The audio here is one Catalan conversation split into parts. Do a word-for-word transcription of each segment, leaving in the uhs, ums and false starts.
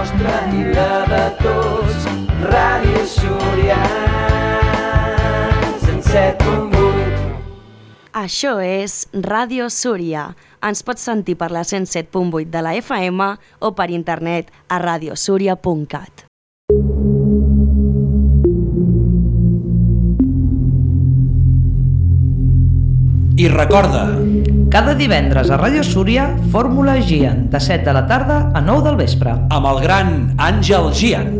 nostra i la de tots. Ràdio Súria, cent set punt vuit. Això és Ràdio Súria. Ens pots sentir per la cent set punt vuit de la F M o per internet a radiosúria punt cat. I recorda, cada divendres a Ràdio Súria, Fórmula Gian, de set de la tarda a nou del vespre. amb el gran Àngel Gian.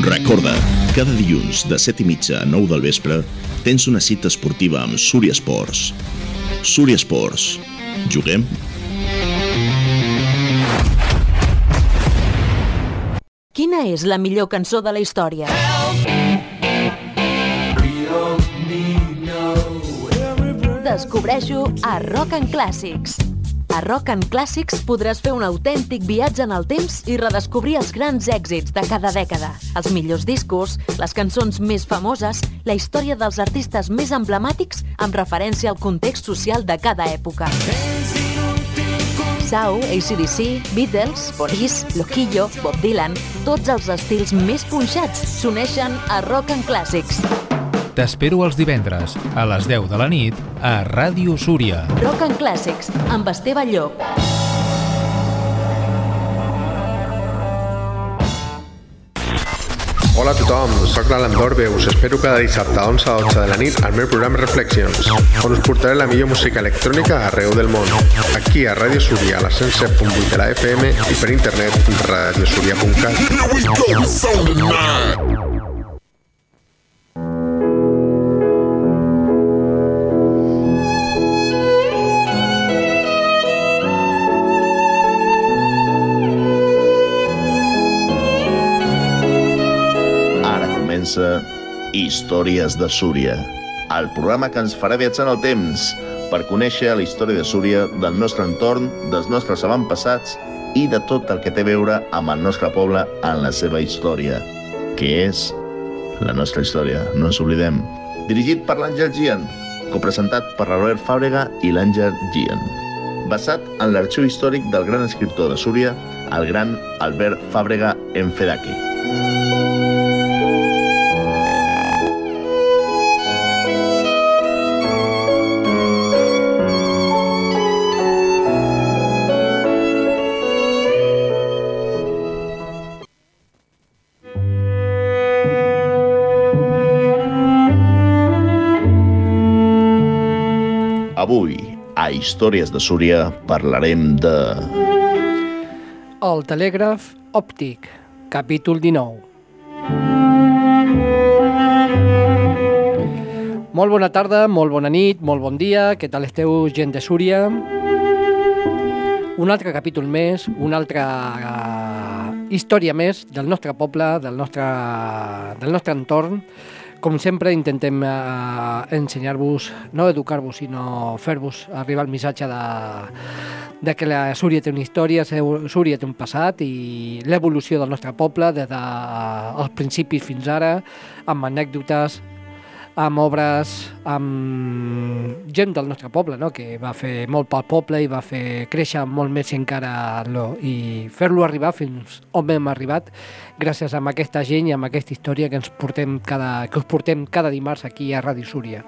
Recorda, cada dilluns de set i mitja a nou del vespre tens una cita esportiva amb Súria Esports. Súria Esports. Juguem? Quina és la millor cançó de la història? Descobreix-ho a Rock and Classics. A Rock and Classics podràs fer un autèntic viatge en el temps i redescobrir els grans èxits de cada dècada, els millors discos, les cançons més famoses, la història dels artistes més emblemàtics amb referència al context social de cada època. Sau, A C D C, Beatles, Police, Loquillo, Bob Dylan, tots els estils més punxats s'uneixen a Rock and Classics. T'espero els divendres, a les deu de la nit, a Ràdio Súria. Rock and Classics, amb Esteve Llop. Hola a tothom, soc l'Alan Dorbe, us espero cada dissabte a onze a dotze de la nit al meu programa Reflections, on us portaré la millor música electrònica arreu del món. Aquí a Ràdio Súria, a la cent set punt vuit de la F M i per internet radiosúria punt cat. Històries de Súria, el programa que ens farà viatjar en el temps per conèixer la història de Súria, del nostre entorn, dels nostres avantpassats i de tot el que té a veure amb el nostre poble en la seva història, que és la nostra història, no ens oblidem. Dirigit per l'Àngel Gian, copresentat per l'Albert Fàbrega i l'Àngel Gian. Basat en l'arxiu històric del gran escriptor de Súria, el gran Albert Fàbrega Enfedaki. Avui, a Històries de Súria, parlarem de... El telègraf òptic, capítol dinou. Molt bona tarda, molt bona nit, molt bon dia, què tal esteu, gent de Súria? Un altre capítol més, una altra uh, història més del nostre poble, del nostre, del nostre entorn. Com sempre, intentem uh, ensenyar-vos, no educar-vos, sinó fer-vos arribar el missatge de, de que la Súria té una història, Súria té un passat i l'evolució del nostre poble des dels uh, principis fins ara, amb anècdotes, amb obres, amb gent del nostre poble, no? Que va fer molt pel poble i va fer créixer molt més encara lo, i fer-lo arribar fins on hem arribat gràcies a aquesta gent i a aquesta història que ens portem cada, que us portem cada dimarts aquí a Ràdio Súria.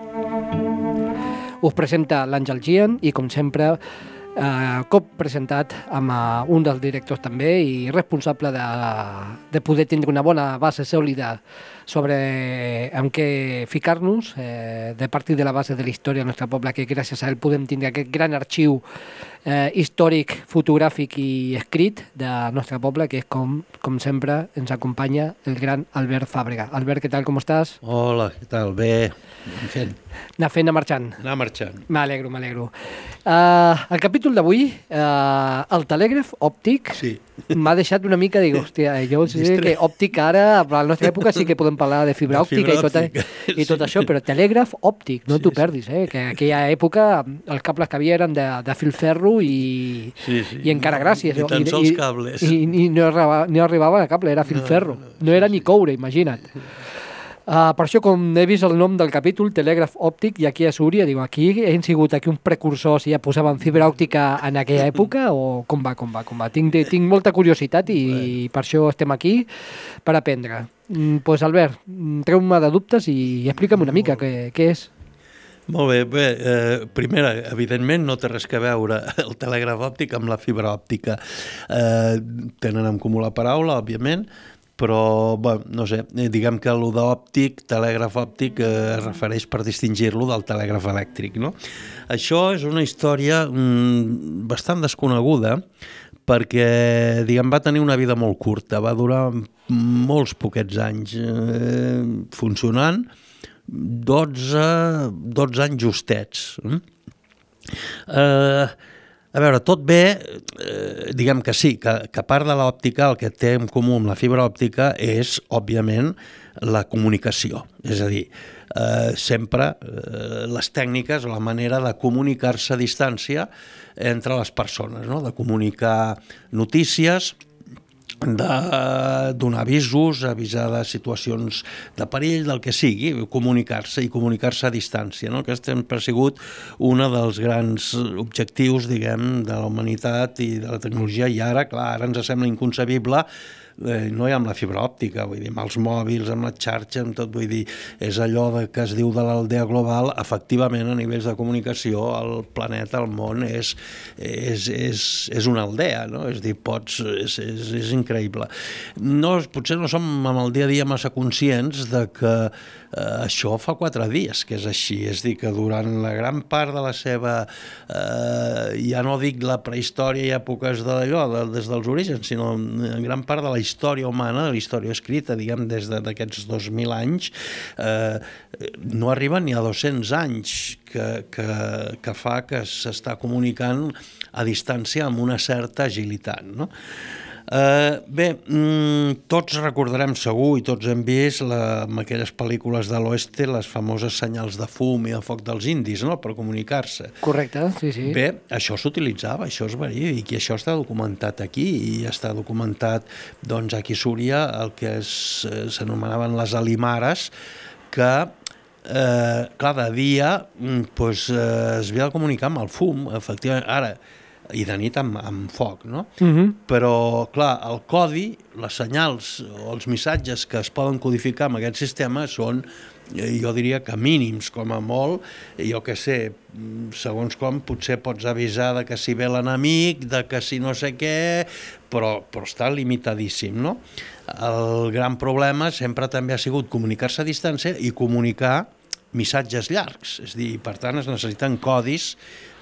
Us presenta l'Àngel Gian i, com sempre, eh, cop presentat amb uh, un dels directors també i responsable de, de poder tindre una bona base sòlida sobre amb què ficar-nos, eh, de partir de la base de la història del nostre poble, que gràcies a ell podem tindre aquest gran arxiu eh, històric, fotogràfic i escrit del nostre poble, que és com, com sempre ens acompanya el gran Albert Fàbrega. Albert, què tal, com estàs? Hola, què tal? Bé, ben fent. Anar fent, anar marxant. Anar marxant. M'alegro, m'alegro. Uh, el capítol d'avui, uh, el telègraf òptic, sí. m'ha deixat una mica, dic, hòstia, jo sé que òptic ara, a la nostra època sí que podem parlar de fibra òptica i tot, i tot això, però telègraf òptic, no sí, t'ho perdis, eh? Que en aquella època els cables que havia eren de, de filferro i, sí, sí. i encara gràcies. Ni tan sols cables. I, i, i no, arribava, no arribava a cable, era filferro. No, no, no era sí, ni coure, imagina't. Uh, per això, com he vist el nom del capítol, telègraf òptic, i aquí a Súria, digo, aquí hem sigut aquí un precursor si ja posaven fibra òptica en aquella època, o com va, com va, com va. Tinc, tinc molta curiositat i, i per això estem aquí, per aprendre. Doncs, pues, Albert, treu-me de dubtes i explica'm una mica què, què és. Molt bé, bé eh, primera, evidentment no té res que veure el telègraf òptic amb la fibra òptica. Eh, tenen en comú la paraula, òbviament, però, bueno, no sé, diguem que allò d'òptic, telègraf òptic, eh, es refereix per distingir-lo del telègraf elèctric, no? Això és una història mm, bastant desconeguda perquè, diguem, va tenir una vida molt curta, va durar molts poquets anys eh, funcionant, dotze, dotze anys justets. Eh... A veure, tot bé, eh, diguem que sí, que, que a part de l'òptica el que té en comú amb la fibra òptica és, òbviament, la comunicació. És a dir, eh, sempre eh, les tècniques o la manera de comunicar-se a distància entre les persones, no? De comunicar notícies, de donar avisos, avisar de situacions de perill, del que sigui, comunicar-se i comunicar-se a distància, no? Aquest sempre ha sigut un dels grans objectius, diguem, de la humanitat i de la tecnologia, i ara, clar, ara ens sembla inconcebible, eh, no hi ha amb la fibra òptica, vull dir, amb els mòbils, amb la xarxa, amb tot, vull dir, és allò de, que es diu de l'aldea global, efectivament, a nivells de comunicació, el planeta, el món, és, és, és, és una aldea, no? És dir, pots, és, és, és increïble. No, potser no som amb el dia a dia massa conscients de que eh, això fa quatre dies que és així, és dir, que durant la gran part de la seva, eh, ja no dic la prehistòria i èpoques d'allò, de, des dels orígens, sinó en gran part de la història humana, de la història escrita, diguem, des d'aquests dos mil anys, eh, no arriben ni a dos-cents anys que, que, que fa que s'està comunicant a distància amb una certa agilitat, no? Uh, bé, mm, tots recordarem segur i tots hem vist la, amb aquelles pel·lícules de l'oeste les famoses senyals de fum i de foc dels indis, no?, per comunicar-se. Correcte, sí, sí. Bé, això s'utilitzava, això és verídic i això està documentat aquí i està documentat, doncs, aquí a Súria el que s'anomenaven les alimares, que eh, clar, de dia pues, eh, es havia de comunicar amb el fum, efectivament. Ara, i de nit amb, amb foc, no? Uh-huh. Però, clar, el codi, les senyals o els missatges que es poden codificar amb aquest sistema són, jo diria que mínims, com a molt, jo què sé, segons com potser pots avisar de que si ve l'enemic, de que si no sé què, però, però està limitadíssim, no? El gran problema sempre també ha sigut comunicar-se a distància i comunicar missatges llargs, és a dir, per tant es necessiten codis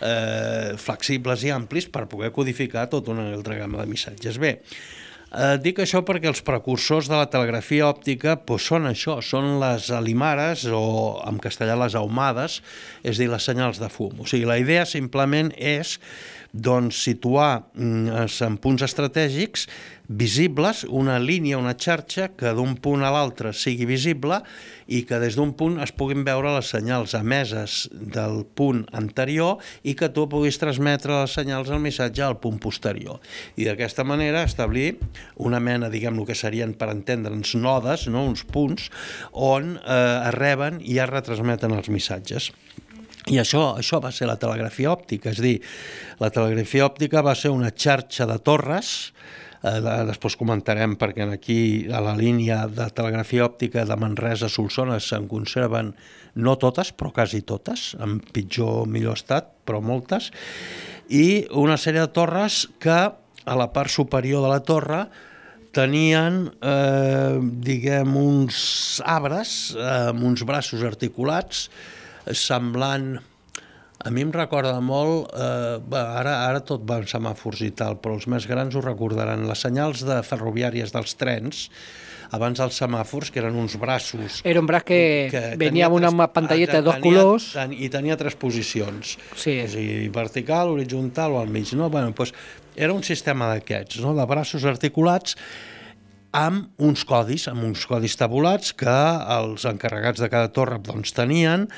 eh, flexibles i amplis per poder codificar tota una altra gamma de missatges. Bé, eh, dic això perquè els precursors de la telegrafia òptica pues, són això, són les alimares o en castellà les ahumades, és a dir, les senyals de fum. O sigui, la idea simplement és doncs, situar en punts estratègics visibles una línia, una xarxa que d'un punt a l'altre sigui visible i que des d'un punt es puguin veure les senyals emeses del punt anterior i que tu puguis transmetre les senyals al missatge al punt posterior. I d'aquesta manera establir una mena, diguem, el que serien, per entendre'ns, nodes, no? Uns punts on eh, es reben i es retransmeten els missatges. I això, això va ser la telegrafia òptica, és a dir, la telegrafia òptica va ser una xarxa de torres, eh, després comentarem perquè aquí a la línia de telegrafia òptica de Manresa a Solsona se'n conserven no totes, però quasi totes, en pitjor o millor estat, però moltes, i una sèrie de torres que a la part superior de la torre tenien, eh, diguem, uns arbres amb uns braços articulats, semblant A mi em recorda molt, eh, bé, ara, ara tot va en semàfors i tal, però els més grans ho recordaran, les senyals de ferroviàries dels trens, abans dels semàfors, que eren uns braços... Era un braç que, que venia amb una tres, pantalleta de dos tenia, colors... ten, I tenia tres posicions, sí. O sigui, vertical, horitzontal o al mig. No? Bueno, doncs, era un sistema d'aquests, no? De braços articulats, amb uns codis, amb uns codis tabulats que els encarregats de cada torre doncs, tenien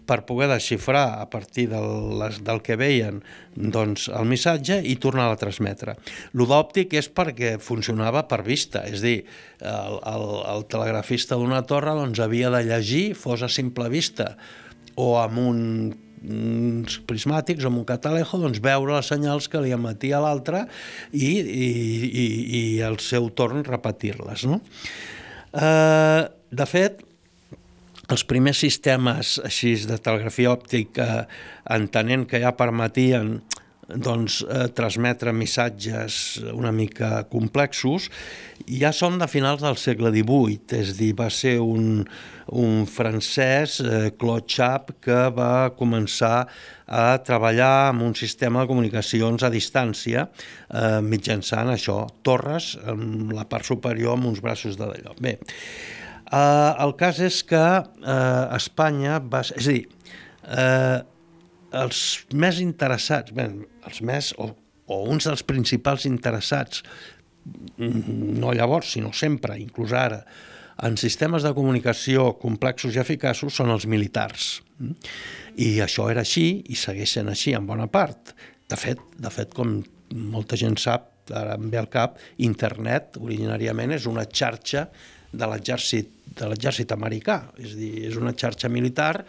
per poder desxifrar a partir del, del que veien doncs, el missatge i tornar-lo a transmetre. Lo d'òptic és perquè funcionava per vista, és a dir, el, el, el telegrafista d'una torre doncs, havia de llegir, fos a simple vista, o amb un uns prismàtics o amb un catalejo, doncs veure les senyals que li emetia l'altre i, i, i, i al seu torn repetir-les. No? Eh, de fet, els primers sistemes així de telegrafia òptica, entenent que ja permetien doncs, eh, transmetre missatges una mica complexos, ja són de finals del segle divuit, és a dir, va ser un, un francès, eh, Claude Chappe, que va començar a treballar amb un sistema de comunicacions a distància, eh, mitjançant això, torres, amb la part superior amb uns braços de d'allò. Bé, eh, el cas és que eh, Espanya va... És a dir, eh, els més interessats, bé, els més, o, o uns dels principals interessats, no llavors, sinó sempre, inclús ara, en sistemes de comunicació complexos i eficaços són els militars. I això era així i segueix sent així en bona part. De fet, de fet, com molta gent sap, ara em ve al cap, internet originàriament és una xarxa de l'exèrcit de l'exèrcit americà, és a dir, és una xarxa militar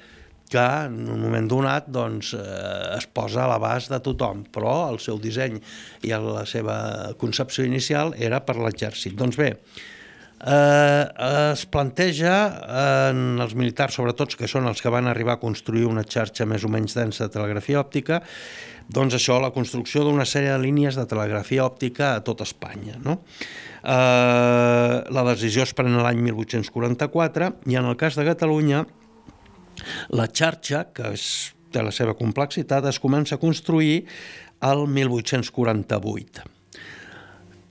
que en un moment donat doncs, eh, es posa a l'abast de tothom, però el seu disseny i la seva concepció inicial era per l'exèrcit. Doncs bé, eh, es planteja en els militars, sobretot que són els que van arribar a construir una xarxa més o menys densa de telegrafia òptica, doncs això, la construcció d'una sèrie de línies de telegrafia òptica a tot Espanya. No? Eh, la decisió es pren l'any mil vuit-cents quaranta-quatre i en el cas de Catalunya la xarxa, que és, té la seva complexitat, es comença a construir el mil vuit-cents quaranta-vuit.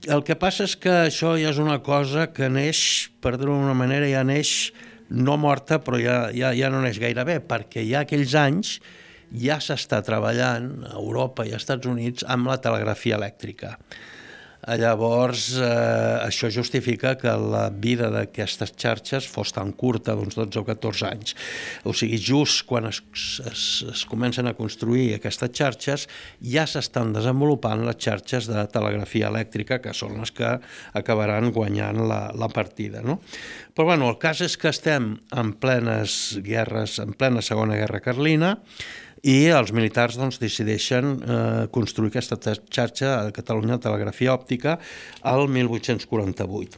El que passa és que això ja és una cosa que neix, per dir-ho d'una manera, ja neix no morta, però ja, ja, ja no neix gaire bé, perquè ja aquells anys ja s'està treballant a Europa i als Estats Units amb la telegrafia elèctrica. Llavors, eh, això justifica que la vida d'aquestes xarxes fos tan curta, d'uns dotze o catorze anys. O sigui, just quan es, es, es comencen a construir aquestes xarxes, ja s'estan desenvolupant les xarxes de telegrafia elèctrica, que són les que acabaran guanyant la, la partida. No? Però bueno, el cas és que estem en plenes guerres, en plena Segona Guerra Carlina, i els militars doncs, decideixen eh, construir aquesta xarxa a Catalunya de telegrafia òptica al mil vuit-cents quaranta-vuit.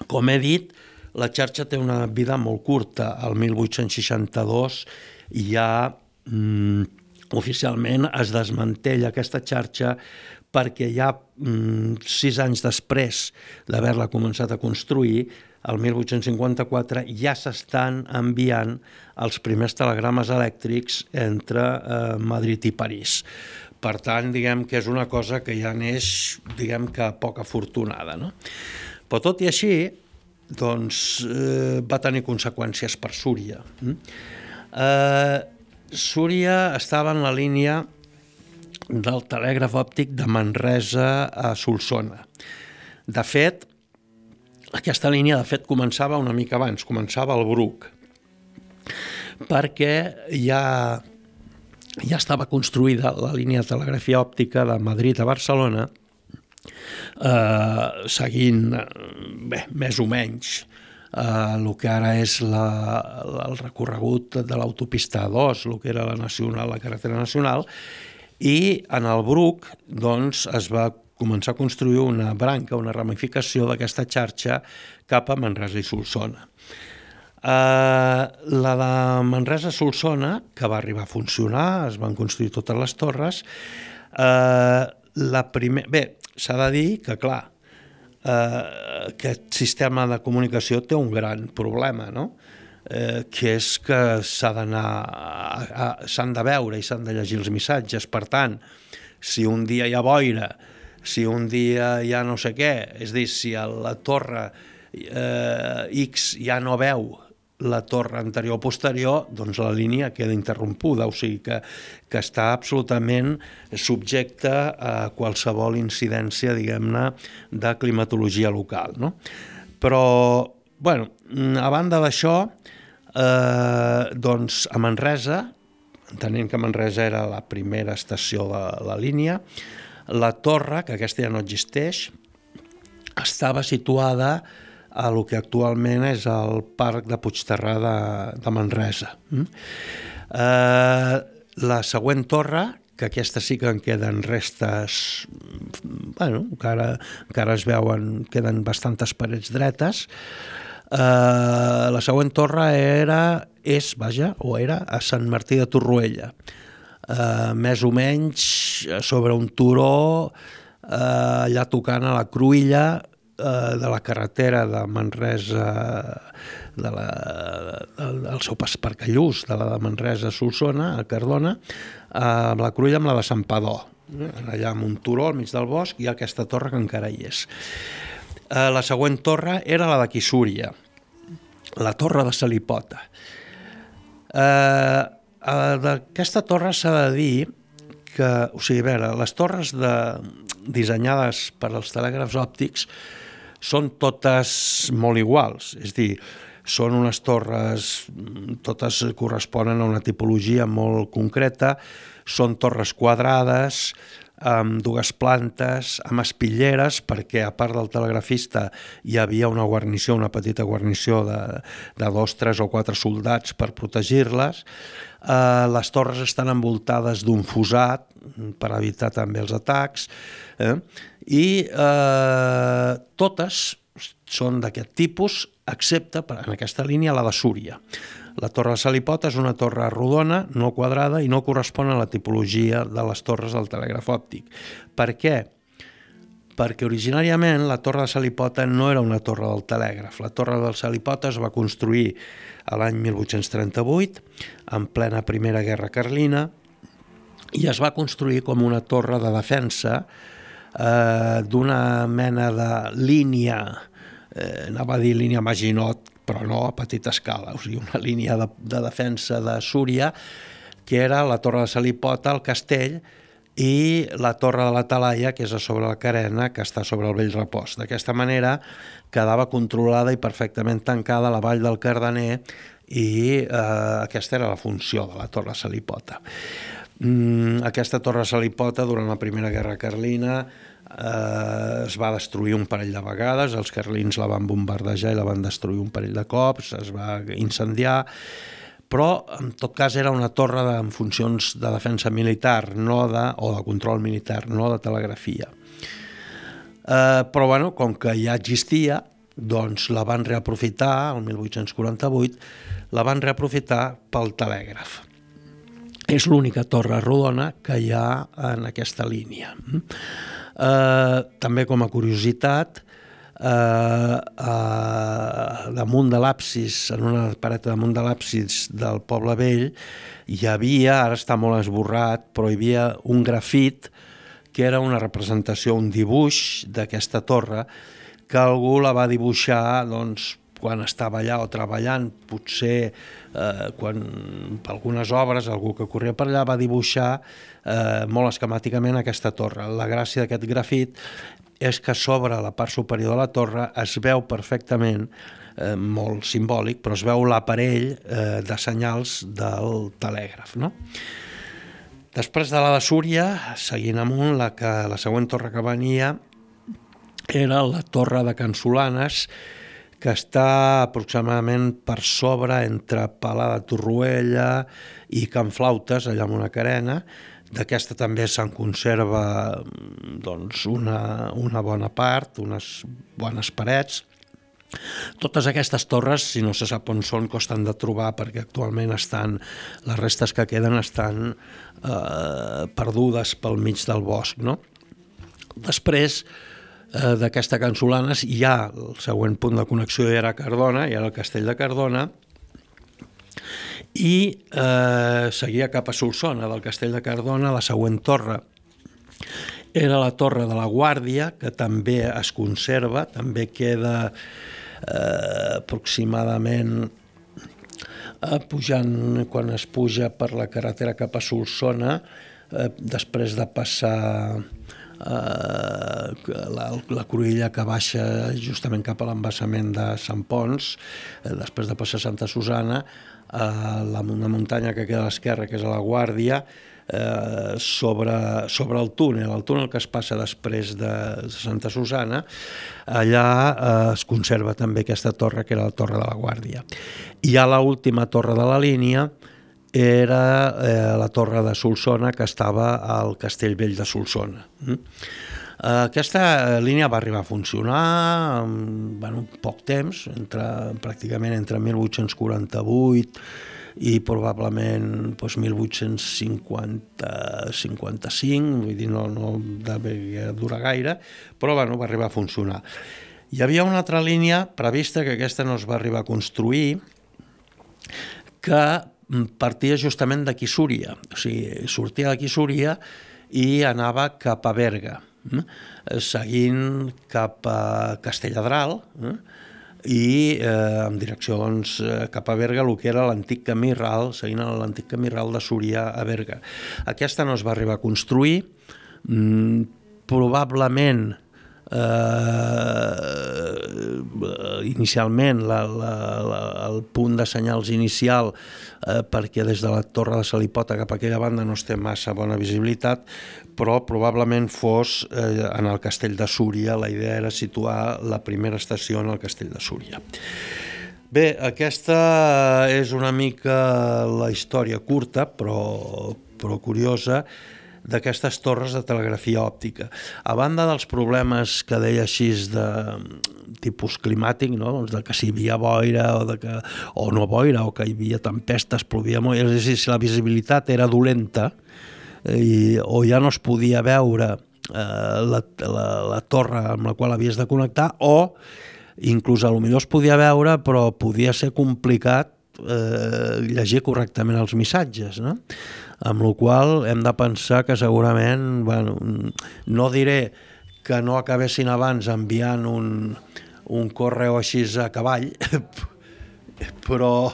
Com he dit, la xarxa té una vida molt curta. Al mil vuit-cents seixanta-dos ja mm, oficialment es desmantella aquesta xarxa perquè ja mm, sis anys després d'haver-la començat a construir, el mil vuit-cents cinquanta-quatre ja s'estan enviant els primers telegrames elèctrics entre eh, Madrid i París. Per tant, diguem que és una cosa que ja neix, diguem que poc afortunada. No? Però tot i així, doncs, eh, va tenir conseqüències per Súria. Eh, Súria estava en la línia del telègraf òptic de Manresa a Solsona. De fet, aquesta línia, de fet, començava una mica abans, començava al Bruc, perquè ja, ja estava construïda la línia de telegrafia òptica de Madrid a Barcelona, eh, seguint, bé, més o menys, eh, el que ara és la, el recorregut de l'autopista A dos, el que era la nacional, la carretera nacional, i en el Bruc, doncs, es va començar a construir una branca, una ramificació d'aquesta xarxa cap a Manresa i Solsona. Uh, la de Manresa-Solsona, que va arribar a funcionar, es van construir totes les torres, uh, la primer... bé, s'ha de dir que, clar, uh, aquest sistema de comunicació té un gran problema, no? eh, que és que s'ha d'anar, s'han de veure i s'han de llegir els missatges. Per tant, si un dia hi ha boira, si un dia hi ha no sé què, és a dir, si a la torre eh, X ja no veu la torre anterior o posterior, doncs la línia queda interrompuda, o sigui que, que està absolutament subjecta a qualsevol incidència, diguem-ne, de climatologia local, no? Però, bueno, a banda d'això, eh, doncs a Manresa, entenent que Manresa era la primera estació de la línia, la torre, que aquesta ja no existeix, estava situada a lo que actualment és el Parc de Puigterrà de, de Manresa. Eh, la següent torre, que aquesta sí que en queden restes, bueno, encara, encara es veuen, queden bastantes parets dretes, eh, la següent torre era, és, vaja, o era a Sant Martí de Torroella, eh, més o menys sobre un turó, eh, allà tocant a la Cruïlla, de la carretera de Manresa, de la, del, del seu pas per Callús, de la de Manresa a Solsona, a Cardona, amb la Cruïlla amb la de Santpedor, allà amb un turó al mig del bosc i aquesta torre que encara hi és. La següent torre era la de Quissúria, la torre de Salipota. D'aquesta torre s'ha de dir que, o sigui, a veure, les torres de, dissenyades per als telègrafs òptics són totes molt iguals, és a dir, són unes torres, totes corresponen a una tipologia molt concreta, són torres quadrades, amb dues plantes, amb espitlleres, perquè a part del telegrafista hi havia una guarnició, una petita guarnició de, de dos, tres o quatre soldats per protegir-les. Eh, les torres estan envoltades d'un fossat per evitar també els atacs, eh? I eh, totes són d'aquest tipus, excepte en aquesta línia la de Súria. La torre de Salipota és una torre rodona, no quadrada, i no correspon a la tipologia de les torres del telègraf òptic. Per què? Perquè originàriament la torre de Salipota no era una torre del telègraf. La torre del Salipota es va construir a l'any mil vuit-cents trenta-vuit, en plena Primera Guerra Carlina, i es va construir com una torre de defensa eh, d'una mena de línia, eh, anava a dir línia Maginot, però no a petita escala, o sigui, una línia de, de defensa de Súria, que era la torre de Salipota, el castell, i la torre de la Talaia, que és a sobre la carena, que està sobre el Vell Repòs. D'aquesta manera quedava controlada i perfectament tancada la vall del Cardener, i eh, aquesta era la funció de la torre de Salipota. Mm, aquesta torre de Salipota, durant la Primera Guerra Carlina, eh, es va destruir un parell de vegades, els carlins la van bombardejar i la van destruir un parell de cops, es va incendiar, però en tot cas era una torre de, amb funcions de defensa militar, no de, o de control militar, no de telegrafia. Eh, però bueno, com que ja existia, doncs la van reaprofitar, el mil vuit-cents quaranta-vuit, la van reaprofitar pel telègraf. És l'única torre rodona que hi ha en aquesta línia. Eh, també com a curiositat, eh, eh, damunt de l'absis, en una paret damunt de l'absis del Poble Vell, hi havia, ara està molt esborrat, però hi havia un grafit que era una representació, un dibuix d'aquesta torre, que algú la va dibuixar, doncs, quan estava allà o treballant, potser eh, quan per algunes obres algú que corria per allà va dibuixar eh, molt esquemàticament aquesta torre. La gràcia d'aquest grafit és que sobre la part superior de la torre es veu perfectament, eh, molt simbòlic, però es veu l'aparell eh, de senyals del telègraf, no? Després de la de Súria, seguint amunt, la, que, la següent torre que venia era la torre de Can Solanes, que està aproximadament per sobre entre Palà de Torroella i Can Flautes, allà amb una carena. D'aquesta també se'n conserva doncs, una, una bona part, unes bones parets. Totes aquestes torres, si no se sap on són, costen de trobar perquè actualment estan, les restes que queden estan eh, perdudes pel mig del bosc, no? Després eh, d'aquesta Can Solanes hi ha el següent punt de connexió, era Cardona, i era el castell de Cardona, i eh, seguia cap a Solsona. Del Castell de Cardona, la següent torre era la Torre de la Guàrdia, que també es conserva, també queda eh, aproximadament eh, pujant, quan es puja per la carretera cap a Solsona, eh, després de passar Uh, la, la cruïlla que baixa justament cap a l'embassament de Sant Pons, uh, després de passar Santa Susana, uh, la, una muntanya que queda a l'esquerra, que és a la Guàrdia, uh, sobre, sobre el túnel, el túnel que es passa després de Santa Susana, allà uh, es conserva també aquesta torre, que era la Torre de la Guàrdia. I a l'última torre de la línia era eh, la torre de Solsona, que estava al Castell Vell de Solsona. Mm? Aquesta línia va arribar a funcionar en bueno, poc temps, entre, pràcticament entre mil vuit-cents quaranta-vuit i probablement doncs, mil vuit-cents cinquanta cinquanta-cinc, vull dir, no, no devia durar gaire, però bueno, va arribar a funcionar. Hi havia una altra línia prevista, que aquesta no es va arribar a construir, que partia justament d'aquí Súria, o sigui, sortia d'aquí Súria i anava cap a Berga, eh? seguint cap a Castelladral, eh? i eh, en direcció doncs, cap a Berga, el que era l'antic camí ral, seguint l'antic camí ral de Súria a Berga. Aquesta no es va arribar a construir, mm, probablement Uh, inicialment la, la, la, el punt de senyals inicial uh, perquè des de la Torre de Salipota cap a aquella banda no es té massa bona visibilitat, però probablement fos uh, en el Castell de Súria. La idea era situar la primera estació en el Castell de Súria. Bé, aquesta és una mica la història curta però, però curiosa d'aquestes torres de telegrafia òptica. A banda dels problemes que deia així de tipus climàtic, no? doncs de que si hi havia boira o, de que, o no boira, o que hi havia tempestes, plovia molt, és a dir, si la visibilitat era dolenta i, o ja no es podia veure eh, la, la, la torre amb la qual havies de connectar, o inclús a lo millor es podia veure però podia ser complicat eh, llegir correctament els missatges, no? Amb la qual hem de pensar que segurament, bueno, no diré que no acabessin abans enviant un, un correu així a cavall, però,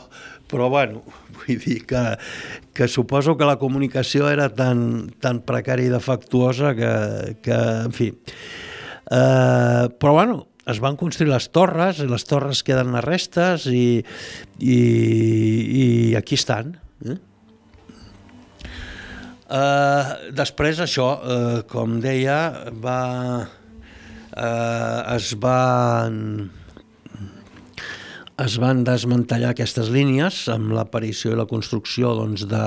però bueno, vull dir que, que suposo que la comunicació era tan, tan precària i defectuosa que, que en fi. Eh, però bueno, es van construir les torres, i les torres queden les restes i, i, i aquí estan, eh? Uh, després això, uh, com deia, va, uh, es van es van desmantellar aquestes línies amb l'aparició i la construcció doncs, de,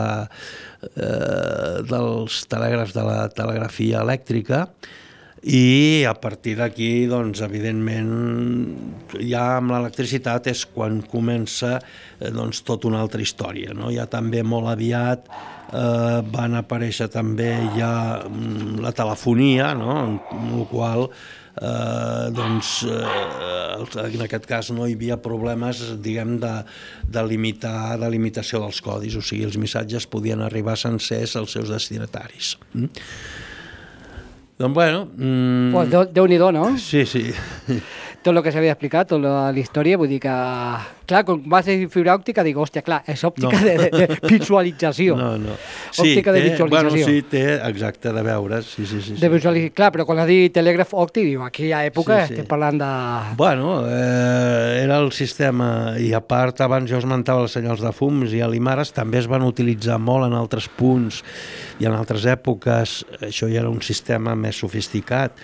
uh, dels telègrafs de la telegrafia elèctrica, i a partir d'aquí, doncs, evidentment, ja amb l'electricitat és quan comença doncs, tota una altra història, no? Ja també molt aviat Eh, van aparèixer també ja la telefonia, no? En la qual eh, doncs, eh, en aquest cas no hi havia problemes, diguem, de, de limitar, de limitació dels codis, o sigui, els missatges podien arribar sencers als seus destinataris. Mm? Doncs bueno... Mm... Pues Déu-n'hi-do, no? Sí, sí. Tot el que s'havia explicat, tota la història, vull dir que... Clar, quan vas a dir fibra òptica, dic, hòstia, clar, és òptica no. de, de, de visualització. No, no. Sí, òptica té, de visualització. Bueno, sí, té, exacte, de veure, sí, sí, sí. De visualització, clar, però quan has dit telègraf òptic, diu, aquí a època sí, sí. estem parlant de... Bueno, eh, era el sistema, i a part, abans jo esmentava els senyals de fums i alimares, també es van utilitzar molt en altres punts i en altres èpoques, això ja era un sistema més sofisticat.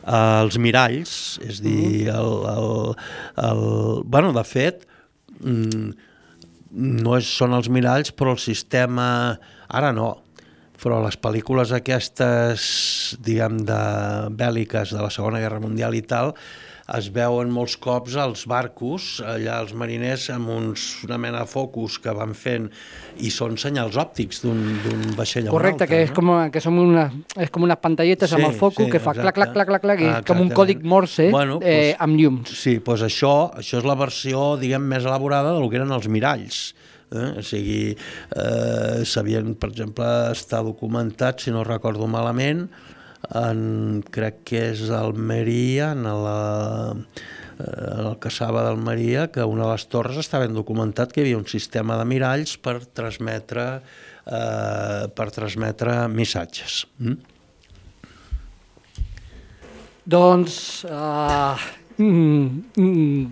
Uh, els miralls, és dir, el, el, el, bueno, de fet, no és, són els miralls, però el sistema, ara no, però les pel·lícules aquestes, diguem, de bèl·liques de la Segona Guerra Mundial i tal, es veuen molts cops als barcos, allà els mariners, amb uns, una mena de focus que van fent, i són senyals òptics d'un vaixell a un Correcte, altre. que, és no? com, que són una, és com unes pantalletes sí, amb el focus sí, que fa exacte. clac, clac, clac, clac, i és com un còdic morse bueno, eh, doncs, amb llums. Sí, doncs això, això és la versió, diguem, més elaborada del que eren els miralls. Eh? O sigui, eh, sabien, per exemple, està documentat, si no recordo malament, en, crec que és a Almeria, en la, en el Cassava d'Almeria, que una de les torres està ben documentat que hi havia un sistema de miralls per transmetre, eh, per transmetre missatges. Mm? Doncs... Uh, mm, mm,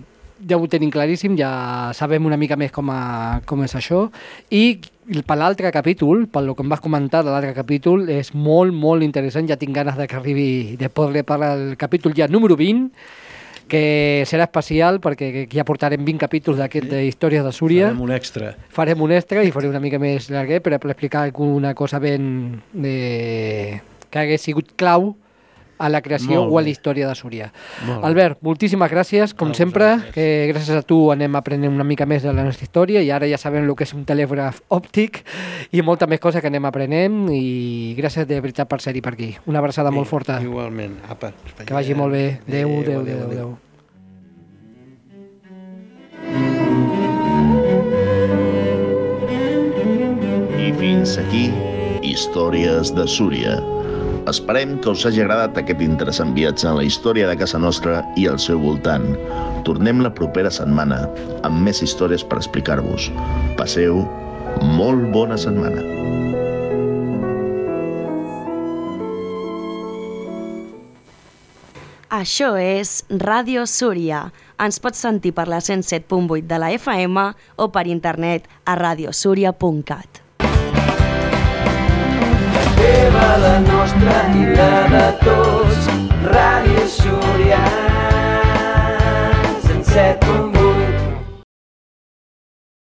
ja ho tenim claríssim, ja sabem una mica més com, a, com és això, i per l'altre capítol, per lo que em vas comentar de l'altre capítol, és molt, molt interessant, ja tinc ganes de que arribi, de poder parlar del capítol ja número vint, que serà especial perquè ja portarem vint capítols d'aquest sí. d'Històries de Súria. Farem un extra. Farem un extra i farem una mica més llarguer per explicar alguna cosa ben de... que hagués sigut clau a la creació o a la història de Súria. Albert, moltíssimes gràcies, com sempre, que gràcies a tu anem aprenent una mica més de la nostra història i ara ja sabem el que és un telègraf òptic i molta més cosa que anem aprenent i gràcies de veritat per ser-hi per aquí. Una abraçada sí, molt forta. Igualment. Apa, que vagi molt bé. Adéu, adéu, adéu, adéu. I fins aquí, Històries de Súria. Esperem que us hagi agradat aquest interessant viatge en la història de casa nostra i al seu voltant. Tornem la propera setmana amb més històries per explicar-vos. Passeu molt bona setmana. Això és Ràdio Súria. Ens pots sentir per la cent set punt vuit de la F M o per internet a radiosúria punt cat. La teva, la nostra i la de tots. Ràdio Súria.